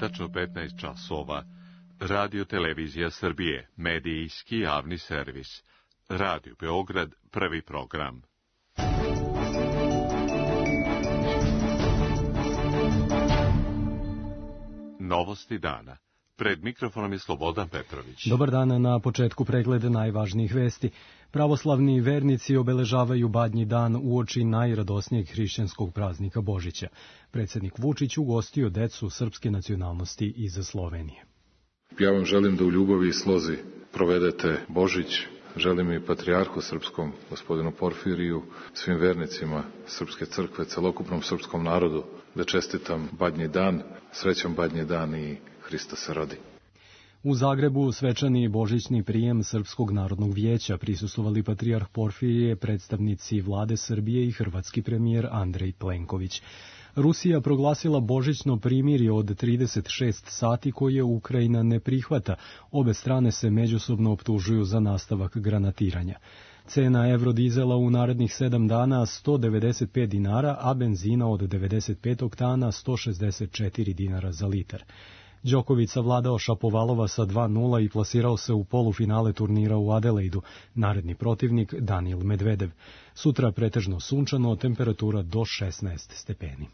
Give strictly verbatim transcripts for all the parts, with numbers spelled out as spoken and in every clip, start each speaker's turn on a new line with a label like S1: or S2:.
S1: tačno petnaest časova. Radio Televizija Srbije, medijski javni servis. Radio Beograd, prvi program. Novosti dana. Pred mikrofonom je Slobodan Petrović.
S2: Dobar dan, na početku pregleda najvažnijih vesti. Pravoslavni vernici obeležavaju Badnji dan uoči najradosnijeg hrišćanskog praznika Božića. Predsjednik Vučić ugostio decu srpske nacionalnosti iz Slovenije.
S3: Ja vam želim da u ljubavi i slozi provedete Božić. Želim i patrijarhu srpskom, gospodinu Porfiriju, svim vernicima Srpske crkve, celokupnom srpskom narodu, da čestitam Badnji dan, srećan Badnji dan i Hristos se rodi.
S2: U Zagrebu svečani božićni prijem Srpskog narodnog vijeća prisustvovali patrijarh Porfirije, predstavnici vlade Srbije i hrvatski premijer Andrej Plenković. Rusija proglasila božićno primirje od trideset šest sati koje Ukrajina ne prihvata. Obe strane se međusobno optužuju za nastavak granatiranja. Cena evrodizela u narednih sedam dana sto devedeset pet dinara, a benzina od devedeset pet oktana sto šezdeset četiri dinara za litar. Đoković savladao Šapovalova sa dva nula i plasirao se u polufinale turnira u Adelaidu. Naredni protivnik Daniil Medvedev. Sutra pretežno sunčano, temperatura do šesnaest stepeni.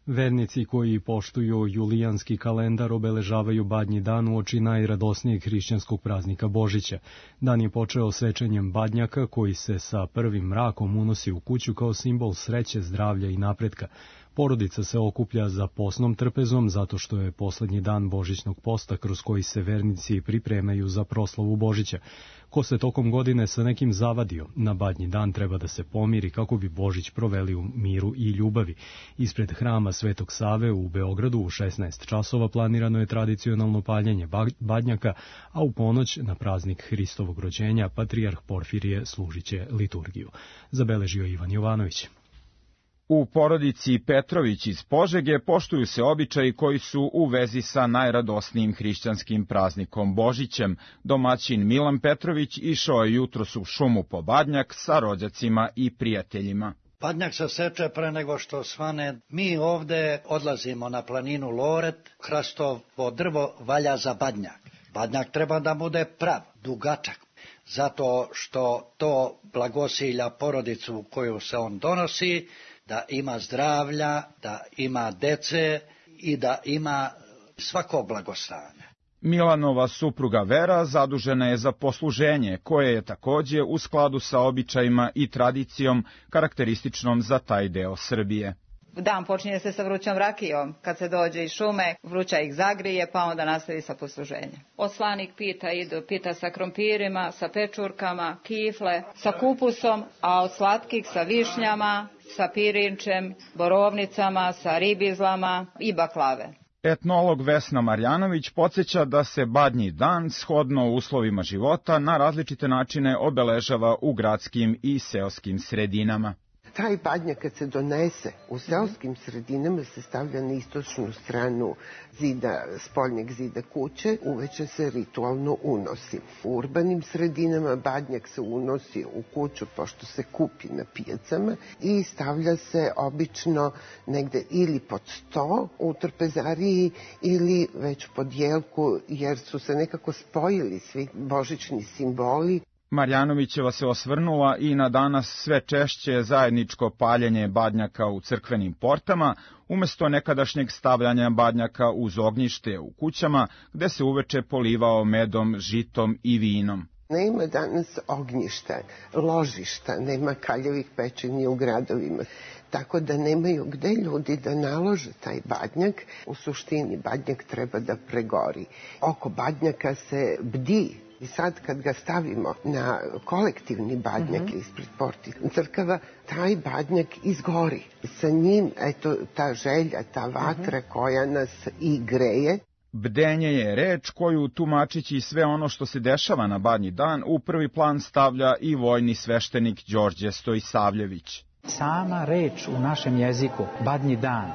S2: Vernici koji poštuju julijanski kalendar obeležavaju Badnji dan uoči najradosnijeg hrišćanskog praznika Božića. Dan je počeo svečanjem badnjaka koji se sa prvim mrakom unosi u kuću kao simbol sreće, zdravlja i napretka. Porodica se okuplja za posnom trpezom zato što je poslednji dan božićnog posta kroz koji se vernici pripremaju za proslavu Božića. Ko se tokom godine sa nekim zavadio, na Badnji dan treba da se pomiri kako bi Božić proveli u miru i ljubavi. Ispred hrama Svetog Save u Beogradu u šesnaest časova planirano je tradicionalno paljenje badnjaka, a u ponoć na praznik Hristovog rođenja patrijarh Porfirije služiće liturgiju. Zabeležio Ivan Jovanović.
S4: U porodici Petrović iz Požege poštuju se običaji koji su u vezi sa najradosnijim hrišćanskim praznikom Božićem. Domaćin Milan Petrović išao je jutros u šumu po badnjak sa rođacima i prijateljima.
S5: Badnjak se seče pre nego što svane. Mi ovde odlazimo na planinu Loret, hrastovo drvo valja za badnjak. Badnjak treba da bude prav, dugačak, zato što to blagosilja porodicu koju se on donosi, da ima zdravlja, da ima dece i da ima svako blagostanje.
S4: Milanova supruga Vera zadužena je za posluženje, koje je takođe u skladu sa običajima i tradicijom karakterističnom za taj deo Srbije.
S6: Dan počinje se sa vrućom rakijom. Kad se dođe iz šume, vruća ih zagrije, pa onda nastavi sa posluženjem. Oslanik pita idu, pita sa krompirima, sa pečurkama, kifle, sa kupusom, a od slatkih sa višnjama, sa pirinčem, borovnicama, sa ribizlama i baklave.
S4: Etnolog Vesna Marjanović podsjeća da se Badnji dan, shodno uslovima života, na različite načine obeležava u gradskim i seoskim sredinama.
S7: Taj badnjak kad se donese u seoskim sredinama se stavlja na istočnu stranu zida, spoljnjeg zida kuće, uveče se ritualno unosi. U urbanim sredinama badnjak se unosi u kuću pošto se kupi na pijacama i stavlja se obično negde ili pod sto u trpezariji ili već pod jelku jer su se nekako spojili svi božićni simboli.
S4: Marjanovićeva se osvrnula i na danas sve češće zajedničko paljenje badnjaka u crkvenim portama, umesto nekadašnjeg stavljanja badnjaka uz ognjište u kućama, gde se uveče polivao medom, žitom i vinom.
S7: Nema danas ognjišta, ložišta, nema kaljevih pečenja u gradovima, tako da nemaju gde ljudi da nalože taj badnjak. U suštini badnjak treba da pregori. Oko badnjaka se bdi. I sad kad ga stavimo na kolektivni badnjak uh-huh. ispred porti crkava, taj badnjak izgori. Sa njim, eto, ta želja, ta vatra uh-huh. koja nas i greje.
S4: Bdenje je reč koju, tumačići sve ono što se dešava na Badnji dan, u prvi plan stavlja i vojni sveštenik Đorđe Stojisavljević.
S8: Sama reč u našem jeziku, Badnji dan,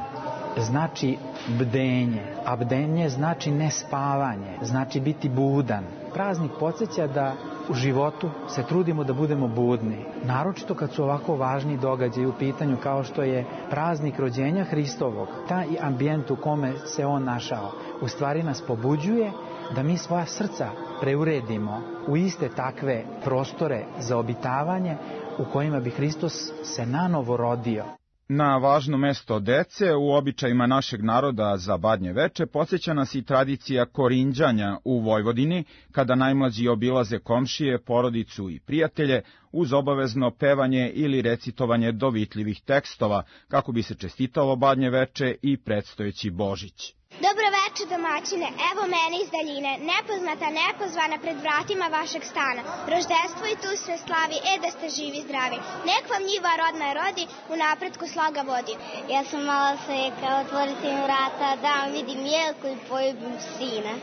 S8: znači bdenje, a bdenje znači nespavanje, znači biti budan. Praznik podsjeća da u životu se trudimo da budemo budni. Naročito kad su ovako važni događaji u pitanju kao što je praznik rođenja Hristovog. Taj ambijent u kome se on našao u stvari nas pobuđuje da mi svoja srca preuredimo u iste takve prostore za obitavanje u kojima bi Hristos se nanovo rodio.
S4: Na važno mesto dece u običajima našeg naroda za Badnje veče podsjeća nas i tradicija korinđanja u Vojvodini, kada najmlađi obilaze komšije, porodicu i prijatelje uz obavezno pevanje ili recitovanje dovitljivih tekstova, kako bi se čestitalo Badnje veče i predstojeći Božić.
S9: Dobro veče, domaćine, evo mene iz daljine, nepoznata, nepozvana pred vratima vašeg stana. Roždestvo i tu sve slavi, e da ste živi zdravi. Nek vam njiva rodna rodi, u napretku sloga vodi.
S10: Ja sam mala sveka, otvorite mi vrata, da vam vidim jelku i poljubim sina.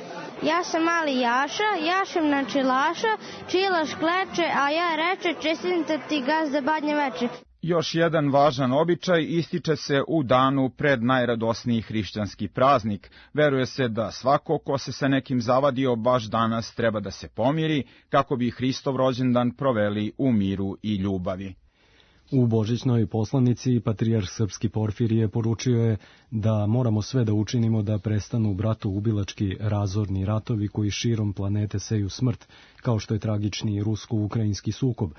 S11: Ja sam mali Jaša, jašem na čilaša, čilaš kleče, a ja reče, čestitam ti gazde Badnje veče.
S4: Još jedan važan običaj ističe se u danu pred najradosniji hrišćanski praznik. Veruje se da svako ko se sa nekim zavadio baš danas treba da se pomiri, kako bi Hristov rođendan proveli u miru i ljubavi.
S2: U božićnoj poslanici patrijarh srpski Porfirije poručio je da moramo sve da učinimo da prestanu bratoubilački razorni ratovi koji širom planete seju smrt, kao što je tragični rusko-ukrajinski sukob.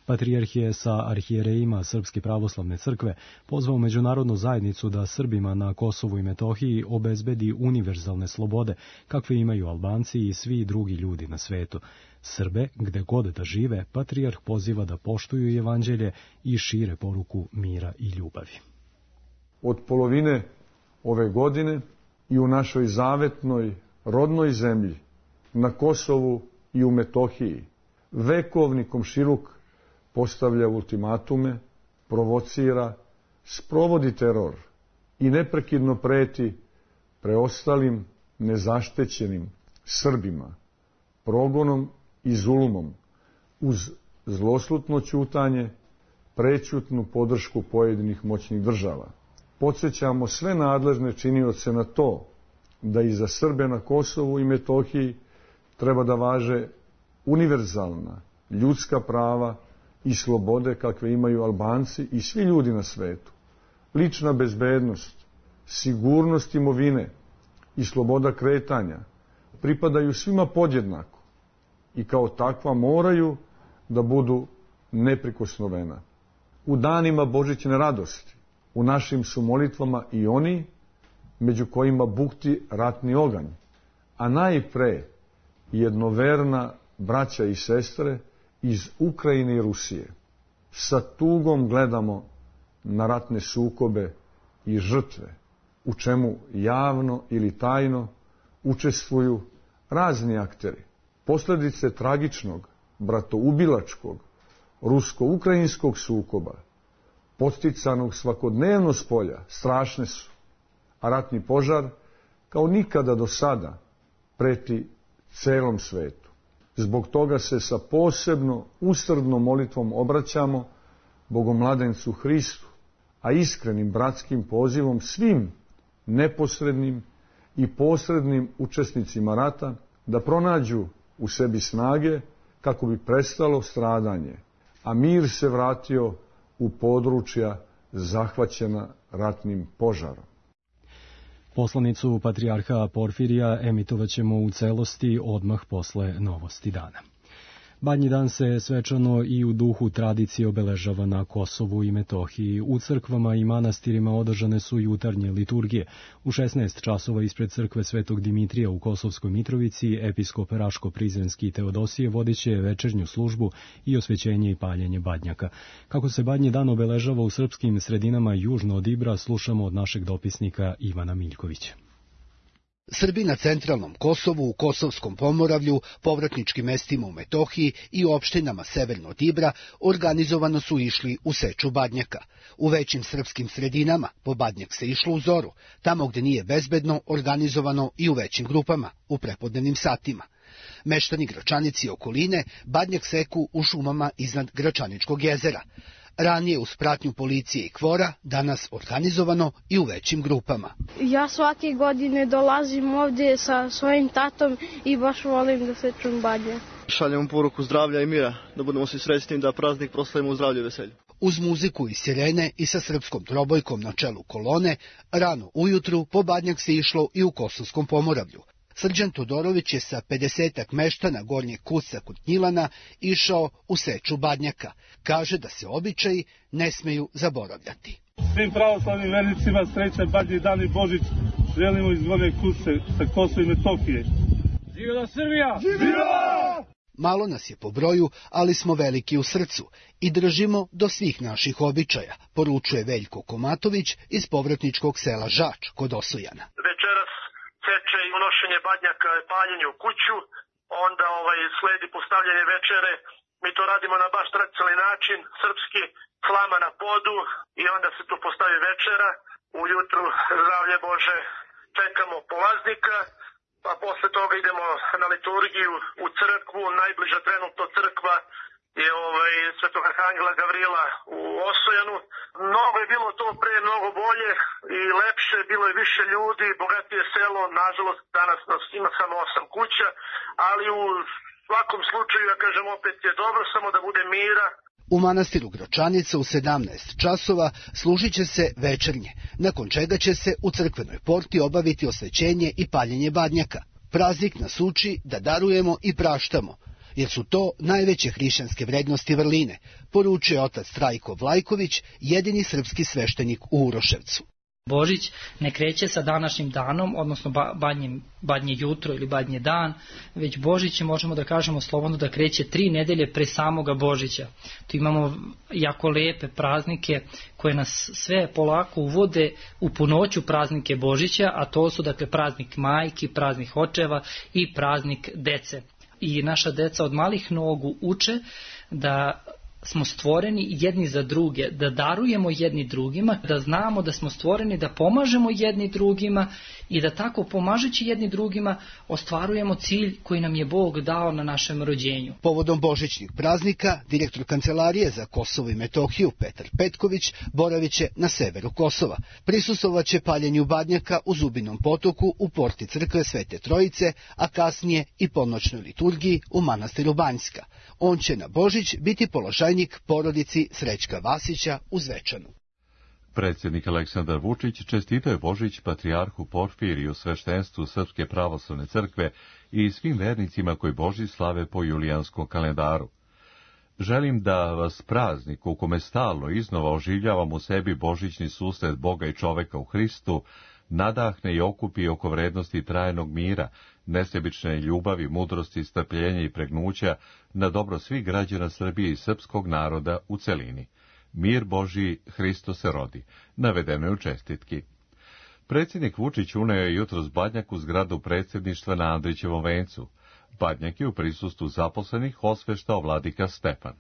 S2: Patrijarh je sa arhijerejima Srpske pravoslavne crkve pozvao međunarodnu zajednicu da Srbima na Kosovu i Metohiji obezbedi univerzalne slobode, kakve imaju Albanci i svi drugi ljudi na svetu. Srbe, gde god da žive, patrijarh poziva da poštuju evanđelje i šire poruku mira i ljubavi.
S12: Od polovine ove godine i u našoj zavetnoj rodnoj zemlji, na Kosovu i u Metohiji, vekovni komšiluk postavlja ultimatume, provocira, sprovodi teror i neprekidno preti preostalim nezaštećenim Srbima progonom i zulumom uz zloslutno ćutanje, prećutnu podršku pojedinih moćnih država. Podsjećamo sve nadležne činioce na to da i za Srbe na Kosovu i Metohiji treba da važe univerzalna ljudska prava i slobode kakve imaju Albanci i svi ljudi na svetu. Lična bezbednost, sigurnost imovine i sloboda kretanja pripadaju svima podjednako i kao takva moraju da budu neprikosnovena. U danima božićne radosti u našim su molitvama i oni među kojima bukti ratni oganj, a najpre jednoverna braća i sestre iz Ukrajine i Rusije. Sa tugom gledamo na ratne sukobe i žrtve, u čemu javno ili tajno učestvuju razni akteri. Posljedice tragičnog, bratoubilačkog, rusko-ukrajinskog sukoba, podsticanog svakodnevno s polja, strašne su, a ratni požar, kao nikada do sada, preti celom svetu. Zbog toga se sa posebno usrdnom molitvom obraćamo Bogomladencu Hristu, a iskrenim bratskim pozivom svim neposrednim i posrednim učesnicima rata da pronađu u sebi snage kako bi prestalo stradanje, a mir se vratio u područja zahvaćena ratnim požarom.
S2: Poslanicu patrijarha Porfirija emitovaćemo u celosti odmah posle novosti dana. Badnji dan se svečano i u duhu tradicije obeležava na Kosovu i Metohiji. U crkvama i manastirima održane su jutarnje liturgije. U šesnaest časova ispred crkve Svetog Dimitrija u Kosovskoj Mitrovici episkop Raško-Prizrenski Teodosije vodiće večernju službu i osvećenje i paljenje badnjaka. Kako se Badnji dan obeležava u srpskim sredinama južno od Ibra, slušamo od našeg dopisnika Ivana Miljkovića.
S13: Srbi na centralnom Kosovu, u Kosovskom Pomoravlju, povratničkim mestima u Metohiji i opštinama severno od Ibra organizovano su išli u seču badnjaka. U većim srpskim sredinama po badnjak se išlo u zoru, tamo gde nije bezbedno organizovano i u većim grupama, u prepodnevnim satima. Meštani Gračanici i okoline badnjak seku u šumama iznad Gračaničkog jezera. ranije uz pratnju policije i kvora, danas organizovano i u većim grupama.
S11: Ja svake godine dolazim ovdje sa svojim tatom i baš volim da sečem badnjak.
S14: Šaljemo poruku zdravlja i mira, da budemo svi srećni, da praznik proslavimo u zdravlju i veselju.
S13: Uz muziku i sirene i sa srpskom trobojkom na čelu kolone, rano ujutru po badnjak se išlo i u Kosovskom Pomoravlju. Srđan Todorović je sa pedesetak meštana Gornjeg Kuca kod Gnjilana išao u seču badnjaka. Kaže da se običaji ne smeju zaboravljati.
S15: Svim pravoslavnim vernicima srećan Badnji dan i Božić želimo iz Gornjeg Kuce sa Kosova i Metohije. Živjela Srbija! Živjela!
S13: Malo nas je po broju, ali smo veliki u srcu i držimo do svih naših običaja, poručuje Veljko Komatović iz povratničkog sela Žač kod Osojana.
S16: Večeras seče i unošenje badnjaka, paljenje u kuću, onda ovaj sledi postavljanje večere. Mi to radimo na baš tradicionalni način, srpski, slama na podu i onda se tu postavi večera. Ujutru, zdravlje Bože, čekamo polaznika, pa posle toga idemo na liturgiju u crkvu. Najbliža trenutno crkva je ovaj, Svetog Arhangela Gavrila u Osojanu. Mnogo je bilo to pre, mnogo bolje i lepše, bilo je više ljudi, bogatije selo, nažalost danas nas ima samo osam kuća, ali u svakom slučaju, ja kažem, opet je dobro samo da bude mira.
S13: U manastiru Gračanica u sedamnaest časova služit će se večernje, nakon čega će se u crkvenoj porti obaviti osvećenje i paljenje badnjaka. Praznik nas uči da darujemo i praštamo, jer su to najveće hrišćanske vrednosti vrline, poručuje otac Trajko Vlajković, jedini srpski sveštenik u Uroševcu.
S17: Božić ne kreće sa današnjim danom, odnosno badnje, badnje jutro ili badnje dan, već Božić možemo da kažemo slobodno da kreće tri nedelje pre samoga Božića. Tu imamo jako lepe praznike koje nas sve polako uvode u punoću praznike Božića, a to su dakle praznik majki, praznik očeva i praznik dece. I naša deca od malih nogu uče da smo stvoreni jedni za druge, da darujemo jedni drugima, da znamo da smo stvoreni da pomažemo jedni drugima i da tako pomažući jedni drugima ostvarujemo cilj koji nam je Bog dao na našem rođenju.
S13: Povodom božićnih praznika, direktor Kancelarije za Kosovo i Metohiju Petar Petković boravit će na severu Kosova. Prisustvovat će paljenju badnjaka u Zubinom potoku u porti crkve Svete Trojice, a kasnije i ponoćnoj liturgiji u manastiru Banjska. On će na Božić biti položajnik porodici Srećka Vasića u Zvečanu.
S1: Predsjednik Aleksandar Vučić čestitao je Božić patrijarhu Porfiriju, sveštenstvu Srpske pravoslavne crkve i svim vernicima koji Božić slave po julijanskom kalendaru. Želim da vas praznik u kome stalno iznova oživljavam u sebi božićni susret Boga i čoveka u Hristu, nadahne i okupi oko vrednosti trajnog mira, nesebične ljubavi, mudrosti, strpljenja i pregnuća na dobro svih građana Srbije i srpskog naroda u celini. Mir Božji, Hristo se rodi, navedeno je u čestitki. Predsjednik Vučić uneo je jutros badnjak u zgradu predsjedništva na Andrićevom vencu. Badnjak je u prisustvu zaposlenih osveštao vladika Stefan.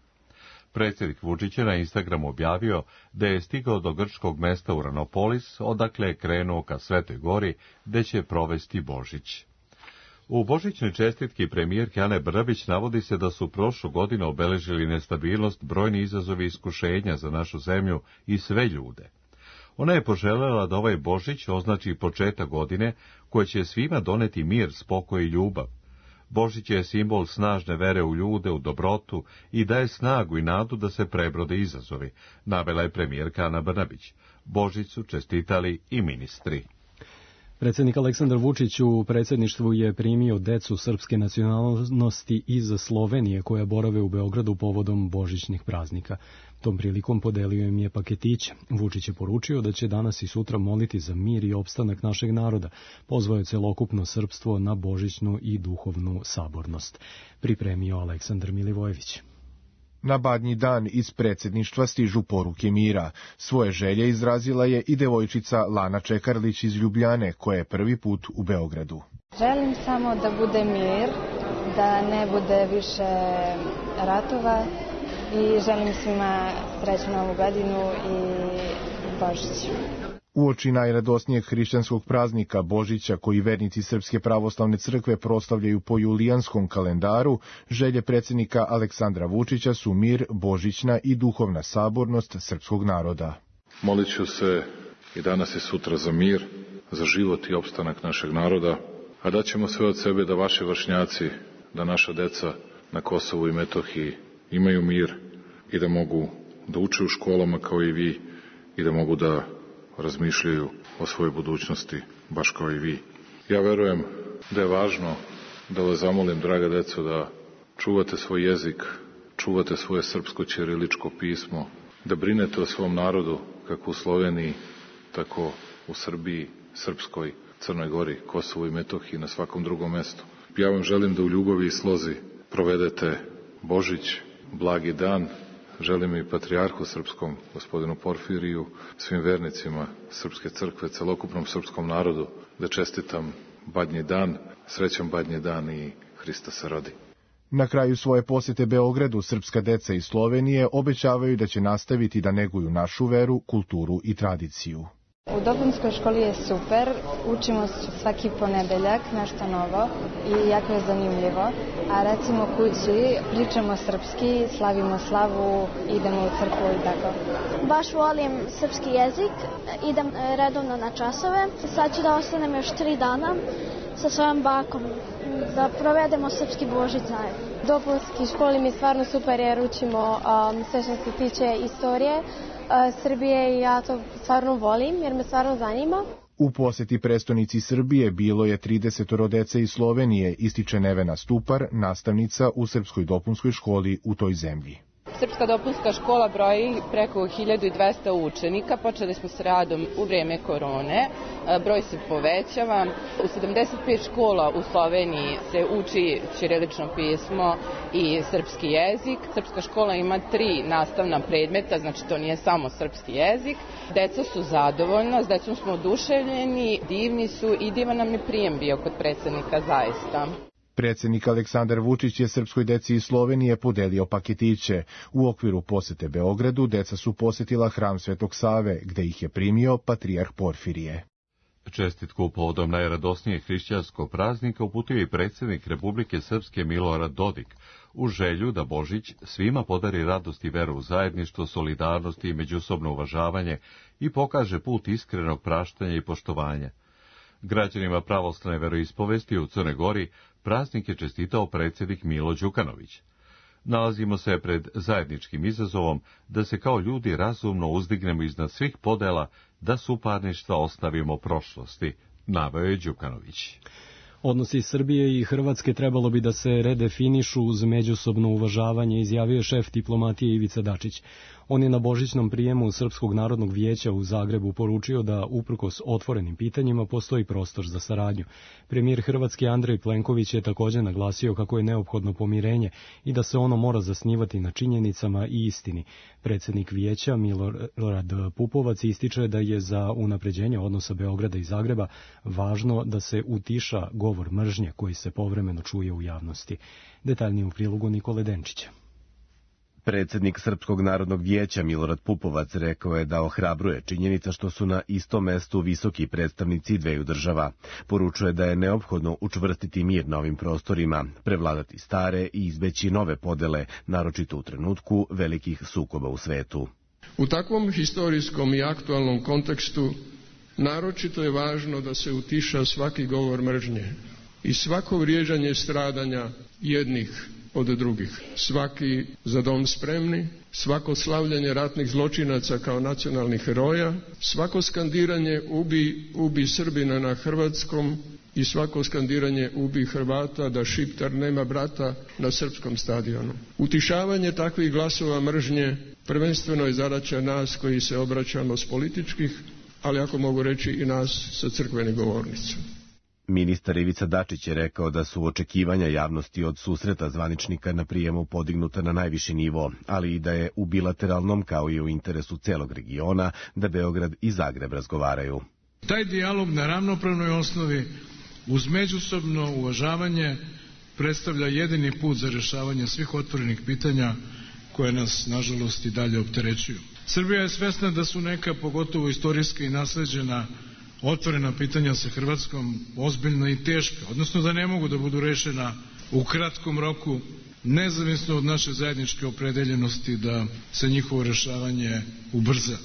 S1: Predsjednik Vučić je na Instagramu objavio da je stigao do grčkog mesta Uranopolis, odakle je krenuo ka Svetoj gori, gde će provesti Božić. U božićnoj čestitki premijerke Ane Brnabić navodi se da su prošlu godinu obeležili nestabilnost, brojni izazovi i iskušenja za našu zemlju i sve ljude. Ona je poželjela da ovaj Božić označi početak godine koje će svima doneti mir, spokoj i ljubav. Božić je simbol snažne vere u ljude, u dobrotu i daje snagu i nadu da se prebrode izazovi, navela je premijerka Ana Brnabić. Božić su čestitali i ministri.
S2: Predsjednik Aleksandar Vučić u predsjedništvu je primio decu srpske nacionalnosti iz Slovenije koja borave u Beogradu povodom božićnih praznika. Tom prilikom podelio im je paketiće. Vučić je poručio da će danas i sutra moliti za mir i opstanak našeg naroda. Pozvao je celokupno srpstvo na božićnu i duhovnu sabornost. Pripremio Aleksandar Milivojević.
S18: Na badnji dan iz predsjedništva stižu poruke mira. Svoje želje izrazila je i devojčica Lana Čekarlić iz Ljubljane, koja je prvi put u Beogradu.
S19: Želim samo da bude mir, da ne bude više ratova i želim svima srećnu novu godinu i Božić.
S18: Uoči najradosnijeg hrišćanskog praznika Božića, koji vernici Srpske pravoslavne crkve proslavljaju po julijanskom kalendaru, želje predsjednika Aleksandra Vučića su mir, božićna i duhovna sabornost srpskog naroda.
S3: Molit ću se i danas i sutra za mir, za život i opstanak našeg naroda, a daćemo sve od sebe da vaši vršnjaci, da naša deca na Kosovu i Metohiji imaju mir i da mogu da uče u školama kao i vi i da mogu da razmišljaju o svojoj budućnosti baš kao i vi. Ja verujem da je važno da vas zamolim, draga deco, da čuvate svoj jezik, čuvate svoje srpsko ćiriličko pismo, da brinete o svom narodu kako u Sloveniji, tako u Srbiji, Srpskoj, Crnoj Gori, Kosovu i Metohiji, na svakom drugom mestu. Ja vam želim da u ljubavi i slozi provedete Božić, blagi dan. Želim i patrijarhu srpskom, gospodinu Porfiriju, svim vernicima Srpske crkve, celokupnom srpskom narodu, da čestitam Badnji dan, srećan Badnji dan i Hrista se rodi.
S18: Na kraju svoje posjete Beogradu, srpska deca iz Slovenije obećavaju da će nastaviti da neguju našu veru, kulturu i tradiciju.
S19: U dopunskoj školi je super, učimo svaki ponedeljak nešto novo i jako je zanimljivo, a recimo kući pričamo srpski, slavimo slavu, idemo u crkvu i tako.
S9: Baš volim srpski jezik, idem redovno na časove, sad ću da ostanem još tri dana sa svojom bakom, da provedemo srpski Božić zajedno.
S20: Dopunski školi mi stvarno super jer učimo um, sve što se tiče istorije Srbije i ja to stvarno volim jer me stvarno zanima.
S18: U posjeti prestonici Srbije bilo je tridesetoro dece iz Slovenije, ističe Nevena Stupar, nastavnica u srpskoj dopunskoj školi u toj zemlji.
S21: Srpska dopunska škola broji preko hiljadu dvesta učenika, počeli smo s radom u vreme korone, broj se povećava. U sedamdeset pet škola u Sloveniji se uči ćirilično pismo i srpski jezik. Srpska škola ima tri nastavna predmeta, znači to nije samo srpski jezik. Deca su zadovoljna, s decom smo oduševljeni, divni su i divan nam je prijem bio kod predsjednika zaista.
S18: Predsjednik Aleksandar Vučić je srpskoj deci iz Slovenije podelio paketiće. U okviru posete Beogradu deca su posjetila hram Svetog Save, gde ih je primio patrijarh Porfirije.
S1: Čestitku povodom najradosnijeg hrišćanskog praznika uputio i predsjednik Republike Srpske Milorad Dodik, u želju da Božić svima podari radost i veru u zajedništvo, solidarnost i međusobno uvažavanje i pokaže put iskrenog praštanja i poštovanja. Građanima pravoslavne veroispovesti u Crnoj Gori praznik je čestitao predsjednik Milo Đukanović. Nalazimo se pred zajedničkim izazovom da se kao ljudi razumno uzdignemo iznad svih podela, da suparništva ostavimo prošlosti, naveo je Đukanović.
S2: Odnosi Srbije i Hrvatske trebalo bi da se redefinišu uz međusobno uvažavanje, izjavio šef diplomatije Ivica Dačić. On je na božićnom prijemu Srpskog narodnog vijeća u Zagrebu poručio da uprkos otvorenim pitanjima postoji prostor za saradnju. Premijer Hrvatske Andrej Plenković je također naglasio kako je neophodno pomirenje i da se ono mora zasnivati na činjenicama i istini. Predsjednik vijeća Milorad Pupovac ističe da je za unapređenje odnosa Beograda i Zagreba važno da se utiša govor mržnje koji se povremeno čuje u javnosti. Detaljnije u prilogu Nikole Denčića.
S22: Predsjednik Srpskog narodnog vijeća Milorad Pupovac rekao je da ohrabruje činjenica što su na istom mestu visoki predstavnici dveju država. Poručuje da je neophodno učvrstiti mir na ovim prostorima, prevladati stare i izbeći nove podele, naročito u trenutku velikih sukoba u svetu.
S23: U takvom historijskom i aktualnom kontekstu naročito je važno da se utiša svaki govor mržnje i svako vrijeđanje stradanja jednih od drugih. Svaki za dom spremni, svako slavljanje ratnih zločinaca kao nacionalnih heroja, svako skandiranje ubi, ubi Srbina na hrvatskom i svako skandiranje ubi Hrvata da Šiptar nema brata na srpskom stadionu. Utišavanje takvih glasova mržnje prvenstveno je zadaća nas koji se obraćamo s političkih, ali ako mogu reći i nas sa crkvenih govornica.
S22: Ministar Ivica Dačić je rekao da su očekivanja javnosti od susreta zvaničnika na prijemu podignuta na najviši nivo, ali i da je u bilateralnom kao i u interesu celog regiona da Beograd i Zagreb razgovaraju.
S24: Taj dijalog na ravnopravnoj osnovi uz međusobno uvažavanje predstavlja jedini put za rješavanje svih otvorenih pitanja koje nas, nažalost, i dalje opterećuju. Srbija je svesna da su neka, pogotovo istorijska i nasleđena, otvorena pitanja sa Hrvatskom ozbiljna i teška, odnosno da ne mogu da budu rešena u kratkom roku, nezavisno od naše zajedničke opredeljenosti da se njihovo rešavanje ubrza.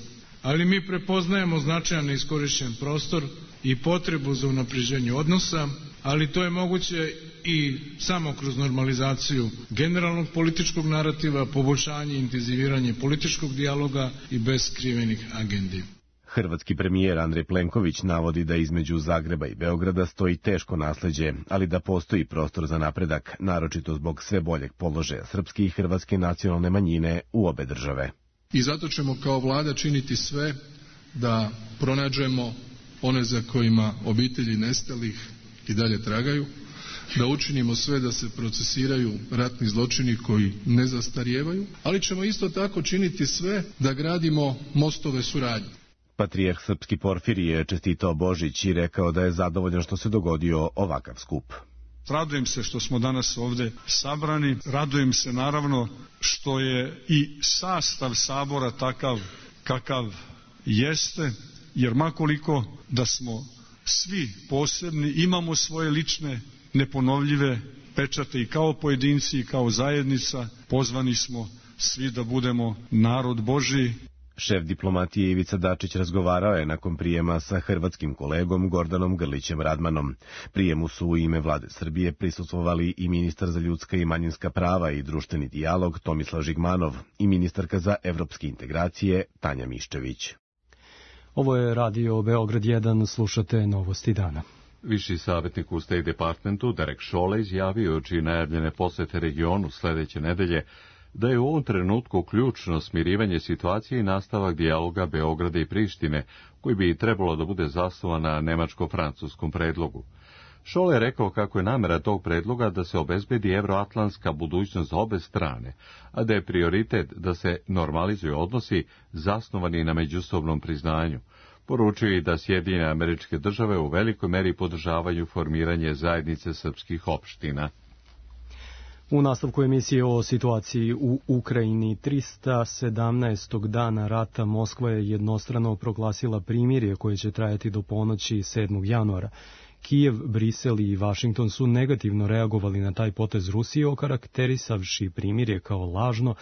S24: Ali mi prepoznajemo značajan neiskorišćen prostor i potrebu za unapređenje odnosa, ali to je moguće i samo kroz normalizaciju generalnog političkog narativa, poboljšanje i intenziviranje političkog dijaloga i bez skrivenih agendi.
S22: Hrvatski premijer Andrej Plenković navodi da između Zagreba i Beograda stoji teško nasleđe, ali da postoji prostor za napredak, naročito zbog sve boljeg položaja srpske i hrvatske nacionalne manjine u obe države.
S23: I zato ćemo kao vlada činiti sve da pronađemo one za kojima obitelji nestalih i dalje tragaju, da učinimo sve da se procesiraju ratni zločini koji ne zastarijevaju, ali ćemo isto tako činiti sve da gradimo mostove suradnje.
S22: Patrijarh srpski Porfirije je čestitao Božić i rekao da je zadovoljan što se dogodio ovakav skup.
S5: Radujem se što smo danas ovde sabrani, radujem se naravno što je i sastav sabora takav kakav jeste, jer makoliko da smo svi posebni, imamo svoje lične neponovljive pečate i kao pojedinci i kao zajednica, pozvani smo svi da budemo narod Božiji.
S22: Šef diplomatije Ivica Dačić razgovarao je nakon prijema sa hrvatskim kolegom Gordanom Grlićem Radmanom. Prijemu su u ime vlade Srbije prisustvovali i ministar za ljudska i manjinska prava i društveni dijalog Tomislav Žigmanov i ministarka za evropske integracije Tanja Miščević.
S2: Ovo je radio Beograd jedan, slušate Novosti dana.
S1: Viši savjetnik u State Departmentu Derek Chollet izjavio čiji najavljene posete regionu sledeće nedelje da je u ovom trenutku ključno smirivanje situacije i nastavak dijaloga Beograda i Prištine, koji bi trebalo da bude zasnovan na nemačko-francuskom predlogu. Chollet je rekao kako je namera tog predloga da se obezbedi evroatlantska budućnost za obe strane, a da je prioritet da se normalizuju odnosi zasnovani na međusobnom priznanju. Poručuje i da Sjedinjene Američke Države u velikoj meri podržavaju formiranje zajednice srpskih opština.
S2: U nastavku emisije o situaciji u Ukrajini trista sedamnaestog dana rata Moskva je jednostrano proglasila primirje koje će trajati do ponoći sedmog januara. Kijev, Brisel i Vašington su negativno reagovali na taj potez Rusije, okarakterisavši primirje kao lažno,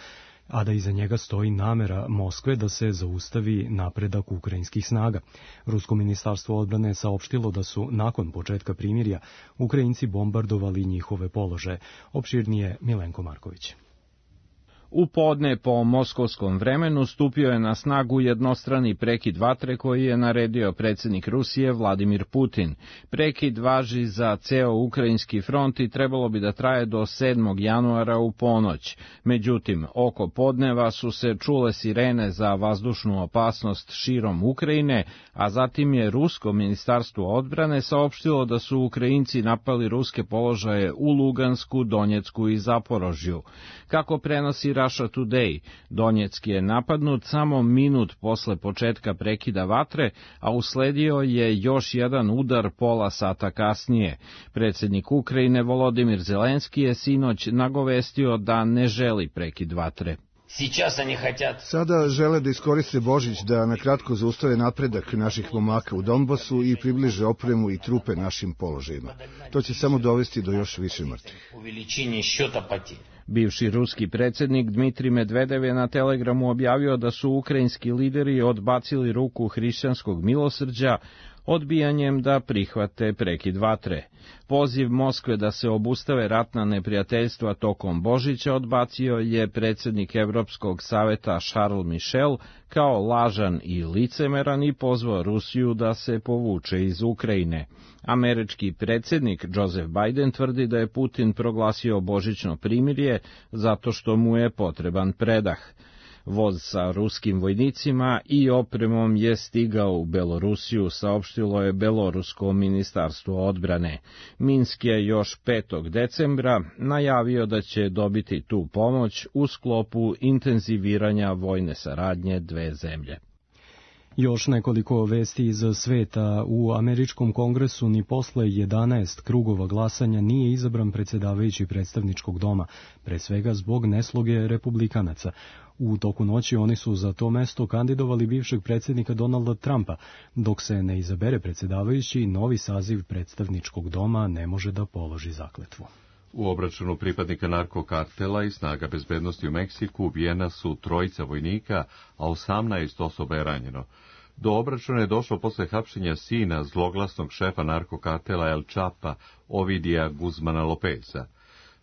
S2: a da iza njega stoji namera Moskve da se zaustavi napredak ukrajinskih snaga. Rusko ministarstvo odbrane je saopštilo da su nakon početka primirja Ukrajinci bombardovali njihove položaje. Opširnije Milenko Marković.
S4: U podne po moskovskom vremenu stupio je na snagu jednostrani prekid vatre koji je naredio predsjednik Rusije Vladimir Putin. Prekid važi za ceo ukrajinski front i trebalo bi da traje do sedmog januara u ponoć. Međutim, oko podneva su se čule sirene za vazdušnu opasnost širom Ukrajine, a zatim je Rusko ministarstvo odbrane saopštilo da su Ukrajinci napali ruske položaje u Lugansku, Donjecku i Zaporožju. Kako prenosi Russia Today, Donjeck je napadnut samo minut posle početka prekida vatre, a usledio je još jedan udar pola sata kasnije. Predsjednik Ukrajine Volodimir Zelenski je sinoć nagovestio da ne želi prekid vatre.
S6: Sada žele da iskoriste Božić da nakratko zaustave napredak naših momaka u Donbasu i približe opremu i trupe našim položajima. To će samo dovesti do još više mrtvih.
S4: Bivši ruski predsjednik Dmitrij Medvedev je na Telegramu objavio da su ukrajinski lideri odbacili ruku hrišćanskog milosrđa odbijanjem da prihvate prekid vatre. Poziv Moskve da se obustave ratna neprijateljstva tokom Božića odbacio je predsjednik Evropskog saveta Charles Michel kao lažan i licemeran i pozvao Rusiju da se povuče iz Ukrajine. Američki predsjednik Joseph Biden tvrdi da je Putin proglasio božićno primirje zato što mu je potreban predah. Voz sa ruskim vojnicima i opremom je stigao u Belorusiju, saopštilo je Belorusko ministarstvo odbrane. Minsk je još petog decembra najavio da će dobiti tu pomoć u sklopu intenziviranja vojne saradnje dve zemlje.
S2: Još nekoliko vesti iz sveta. U američkom kongresu ni posle jedanaest krugova glasanja nije izabran predsjedavajući predstavničkog doma, pre svega zbog nesloge republikanaca. U toku noći oni su za to mesto kandidovali bivšeg predsjednika Donalda Trumpa. Dok se ne izabere predsjedavajući, novi saziv predstavničkog doma ne može da položi zakletvu.
S1: U obračunu pripadnika narkokartela i snaga bezbednosti u Meksiku ubijena su trojica vojnika, a osamnaest osoba je ranjeno. Do obračuna je došlo posle hapšenja sina zloglasnog šefa narkokartela El Chapa, Ovidija Guzmana Lopeza.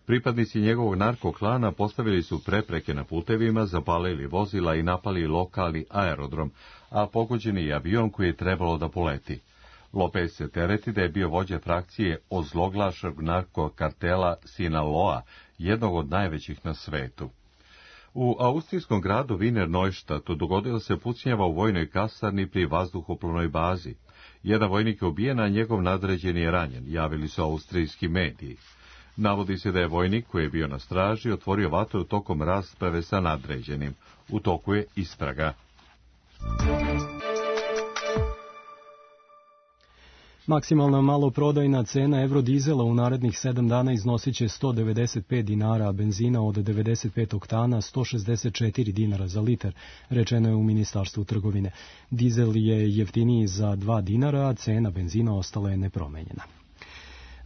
S1: Pripadnici njegovog narkoklana postavili su prepreke na putevima, zapalili vozila i napali lokalni aerodrom, a pogođeni je avion koji je trebalo da poleti. Lopez se tereti da je bio vođa frakcije ozloglašenog narkokartela Sinaloa, jednog od najvećih na svetu. U austrijskom gradu Wiener Neustadt dogodila se pucnjava u vojnoj kasarni pri vazduhoplovnoj bazi. Jedan vojnik je ubijen, a njegov nadređeni je ranjen, javili su austrijski mediji. Navodi se da je vojnik koji je bio na straži otvorio vatru tokom rasprave sa nadređenim. U toku je istraga.
S2: Maksimalna maloprodajna cena evrodizela u narednih sedam dana iznosit će sto devedeset pet dinara, a benzina od devedeset pet oktana sto šezdeset četiri dinara za litar, rečeno je u Ministarstvu trgovine. Dizel je jeftiniji za dva dinara, a cena benzina ostala je nepromenjena.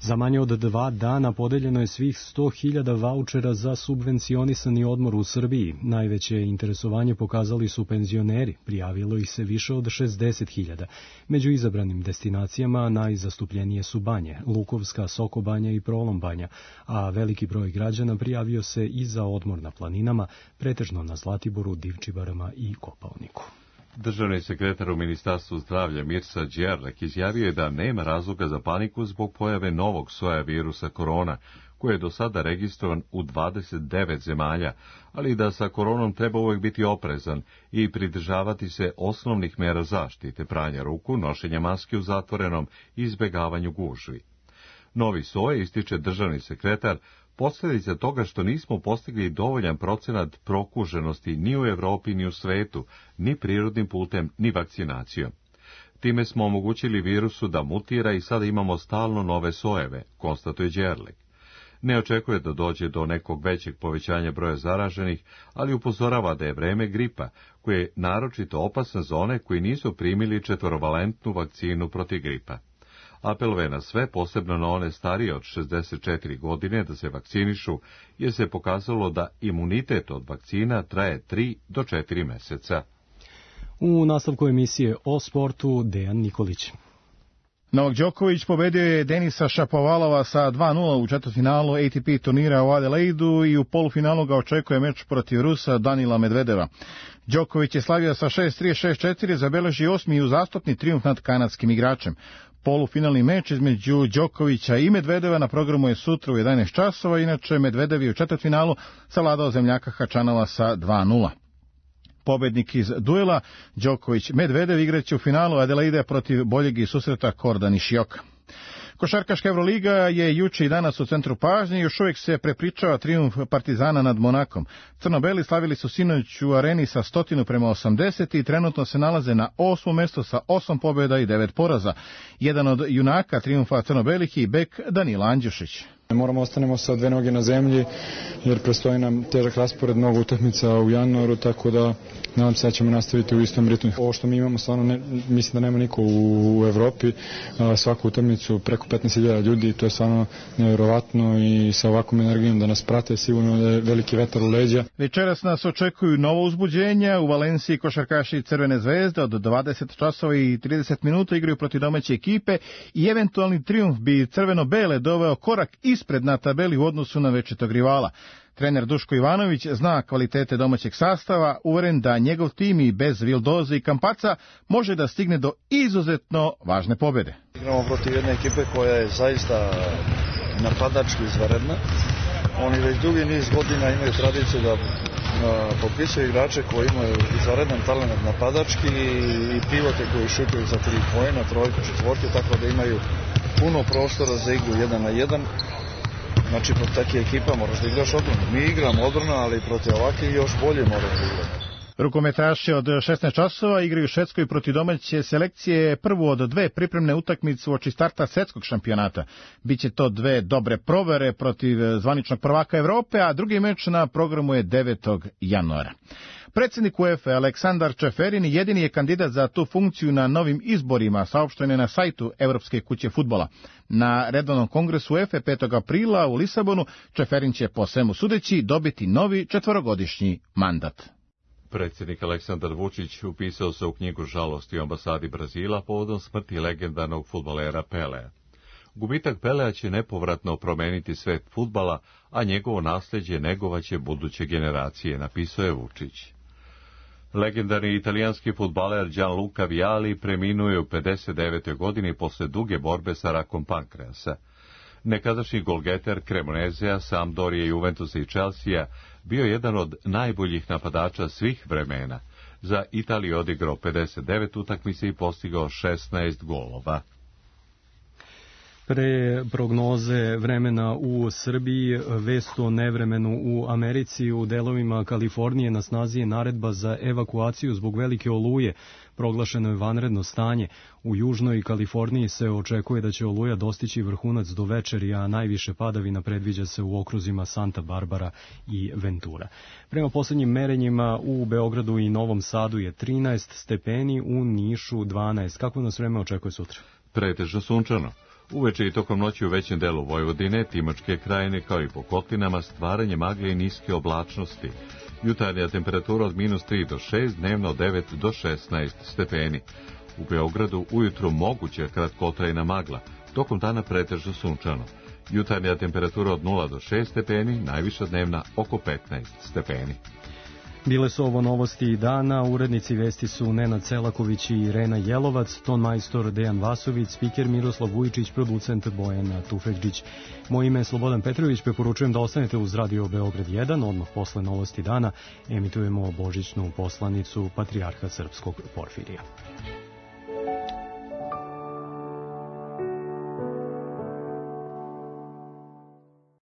S2: Za manje od dva dana podeljeno je svih sto hiljada vaučera za subvencionisani odmor u Srbiji. Najveće interesovanje pokazali su penzioneri, prijavilo ih se više od šezdeset hiljada. Među izabranim destinacijama najzastupljenije su Banje, Lukovska, Sokobanja i Prolombanja, a veliki broj građana prijavio se i za odmor na planinama, pretežno na Zlatiboru, Divčibarama i Kopaoniku.
S1: Državni sekretar u Ministarstvu zdravlja Mirsa Đerlek izjavio je da nema razloga za paniku zbog pojave novog soja virusa korona, koji je do sada registrovan u dvadeset devet zemalja, ali da sa koronom treba uvijek biti oprezan i pridržavati se osnovnih mera zaštite, pranja ruku, nošenja maske u zatvorenom i izbegavanju gužvi. Novi soj, ističe državni sekretar, posljedica toga što nismo postigli dovoljan procenat prokuženosti ni u Evropi ni u svetu, ni prirodnim putem, ni vakcinacijom. Time smo omogućili virusu da mutira i sada imamo stalno nove sojeve, konstatuje Đerlek. Ne očekuje da dođe do nekog većeg povećanja broja zaraženih, ali upozorava da je vreme gripa, koji je naročito opasan za one koji nisu primili četvorovalentnu vakcinu protiv gripa. Apeluje na sve, posebno na one starije od šezdeset četiri godine, da se vakcinišu, jer se pokazalo da imunitet od vakcina traje tri do četiri meseca.
S2: U nastavku emisije o sportu Dejan Nikolić.
S7: Novak Đoković pobedio je Denisa Šapovalova sa dva nula u četvrtfinalu A T P turnira u Adelaidu i u polufinalu ga očekuje meč protiv Rusa Danila Medvedeva. Đoković je slavio sa šest tri šest četiri, zabeleži osmi i uzastopni trijumf nad kanadskim igračem. Polufinalni meč između Đokovića i Medvedeva na programu je sutra u jedanaest časova, inače Medvedev je u četvrtfinalu savladao zemljaka Hačanova sa dva nula. Pobednik iz duela Đoković-Medvedev igraće u finalu Adelaide protiv boljeg i susreta Korda Nišioka. Košarkaška Evroliga je juče i danas u centru pažnje i još uvijek se prepričava trijumf Partizana nad Monakom. Crno-beli slavili su sinoć u areni sa stotinu prema osamdeset i trenutno se nalaze na osmom mjestu sa osam pobjeda i devet poraza. Jedan od junaka trijumfa crno-belih je i bek Danilo Andjušić.
S8: Moramo ostanemo sa dve noge na zemlji jer predstoji nam težak raspored, mnogo utakmica u januaru, tako da nadam se da ćemo nastaviti u istom ritmu. Ovo što mi imamo stvarno, ne, mislim da nema niko u, u Evropi, a, svaku utakmicu preko petnaest hiljada ljudi, to je stvarno nevjerovatno i sa ovakvom energijom da nas prate sigurno da je veliki vetar u leđa.
S7: Večeras nas očekuju novo uzbuđenja, u Valenciji košarkaši Crvene zvezde od dvadeset časova i trideset minuta igraju protiv domaće ekipe i eventualni trijumf bi crveno-bele doveo korak ispred na tabeli u odnosu na večitog rivala. Trener Duško Ivanović zna kvalitete domaćeg sastava, uveren da njegov tim i bez Vildoze i Kampaca može da stigne do izuzetno važne pobjede.
S14: Igramo protiv jedne ekipe koja je zaista napadački izvanredna. Oni već dugi niz godina imaju tradiciju da potpisuju igrače koji imaju izvanredan talent napadački i pivote koji šutuju za tri poena, trojku, četvorku, tako da imaju puno prostora za igru jedan na jedan. Znači, protiv takve ekipa moraš da igraš odbranu. Mi igramo odbranu, ali protiv ovakve još bolje moramo da igramo.
S7: Rukometaši od šesnaest časova igraju u Švedskoj protiv domaće selekcije prvu od dve pripremne utakmice uoči starta svetskog šampionata. Biće to dve dobre provere protiv zvaničnog prvaka Evrope, a drugi meč na programu je devetog januara. Predsjednik UEFA Aleksandar Čeferin jedini je kandidat za tu funkciju na novim izborima, saopšteno je na sajtu Evropske kuće fudbala. Na redovnom kongresu UEFA petog aprila u Lisabonu Čeferin će po svemu sudeći dobiti novi četvorogodišnji mandat.
S1: Predsjednik Aleksandar Vučić upisao se u knjigu žalosti u ambasadi Brazila povodom smrti legendarnog fudbalera Pelea. Gubitak Pelea će nepovratno promeniti svet fudbala, a njegovo nasljeđe negovaće buduće generacije, napisao je Vučić. Legendarni italijanski fudbaler Gianluca Vialli preminuo je u pedeset devetoj godini posle duge borbe sa rakom pankreasa. Nekadašnji golgeter Cremonezea, Sampdorije, Juventusa i Chelsea bio jedan od najboljih napadača svih vremena. Za Italiju odigrao pedeset devet utakmica i postigao šesnaest golova.
S2: Pre prognoze vremena u Srbiji, vest o nevremenu u Americi, u delovima Kalifornije na snazi je naredba za evakuaciju zbog velike oluje. Proglašeno je vanredno stanje. U južnoj Kaliforniji se očekuje da će oluja dostići vrhunac do večeri, a najviše padavina predviđa se u okruzima Santa Barbara i Ventura. Prema poslednjim merenjima u Beogradu i Novom Sadu je trinaest stepeni, u Nišu dvanaest. Kako nas vreme očekuje sutra?
S1: Pretežno sunčano. Uveče i tokom noći u većem delu Vojvodine, Timočke krajine kao i po kotlinama stvaranje magle i niske oblačnosti. Jutarnja temperatura od minus tri do šest, dnevno od devet do šesnaest stepeni. U Beogradu ujutru moguća kratkotrajna magla, tokom dana pretežno sunčano. Jutarnja temperatura od nula do šest stepeni, najviša dnevna oko petnaest stepeni.
S2: Bile su ovo novosti dana, urednici vesti su Nenad Celaković i Irena Jelovac, ton majstor Dejan Vasović, spiker Miroslav Vujičić, producent Bojan Tufekđić. Moje ime je Slobodan Petrović, preporučujem da ostanete uz Radio Beograd jedan, odmah posle novosti dana emitujemo božićnu poslanicu Patrijarha Srpskog Porfirija.